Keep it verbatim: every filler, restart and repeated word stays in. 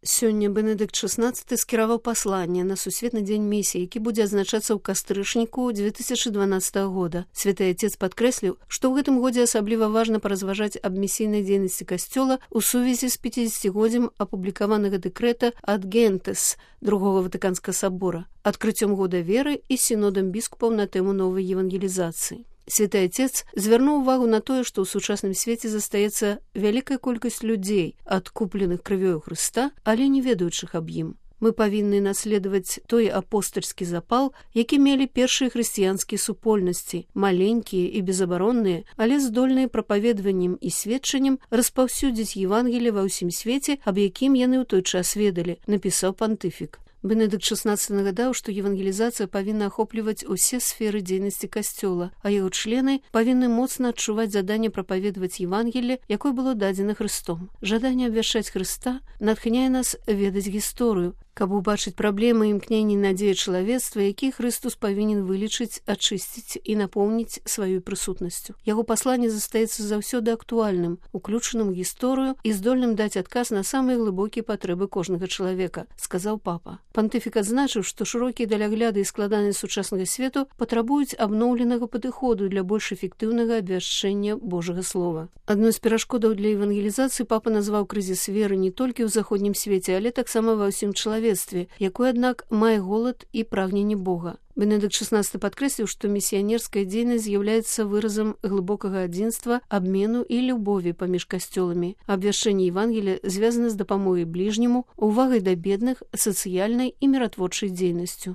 Сёння Бенедыкт шаснаццаты скіраваў пасланне на сусветны дзень місіі, які будзе адзначацца ў кастрычніку дзве тысячы дванаццатага года. Святы Отец падкрэсліў, што ў гэтым годзе асабліва важна паразважаць аб місійнай дзейнасці касцёла ў сувязі з пяцідзесяцігоддзям апублікаванага дэкрэта ад Гентес другога Ватыканскага сабора, адкрыццём года веры і сінодам біскупаў на тэму новай евангелізацыі. Святы Отец звярнуў увагу на тое, што ў сучасным свеце застаецца вялікая колькасць людзей, адкупленых крывёю Хрыста, але не ведаючых аб ім. Мы павінны наследаваць той апостальскі запал, які мелі першыя хрысціянскія супольнасці, маленькія і безабаронныя, але здольныя прапаведваннем і сведчаннем распаўсюдзіць Евангелие ва ўсім свеце, аб якім яны ў той час ведалі, напісаў пантыфік. Бенедыкт шаснаццаты нагадаў, што евангелізацыя павінна ахопліваць усе сферы дзейнасці касцёла, а яго члены павінны моцна адчуваць заданне прапаведаваць Евангелие, якое было дадзена Хрыстом. Жаданне абвяшчаць Хрыста натхняе нас ведаць гісторыю, каб убачыць праблемы і імкненні надзеі чалавецтва, які Хрыстус павінен вылечыць, ачысціць і напоўніць сваёй прысутнасцю. Яго пасланне застаецца заўсёды актуальным, уключаным у гісторыю і здольным даць адказ на самыя глыбокія патрэбы кожнага чалавека, сказаў папа. Пантыфік адзначыў, што шырокія далягляды і складанасць сучаснага свету патрабуюць абноўленага падыходу для больш эфектыўнага абвяшчэння Божага слова. Адной з перашкодаў для евангелізацыі папа назваў крызіс веры не толькі ў заходнім свеце, але таксама ва ўсім чалавецтве, якое, аднак, мае голад і прагненне Бога. Бенедыкт шаснаццаты падкрэсліў, што місіянерская дзейнасць з'яўляецца выразам глыбокага адзінства, абмену і любові паміж касцёламі. Абвяшчэнне Евангелія звязана з дапамогай бліжняму, увагай да бедных, сацыяльнай і міратворчай дзейнасцю.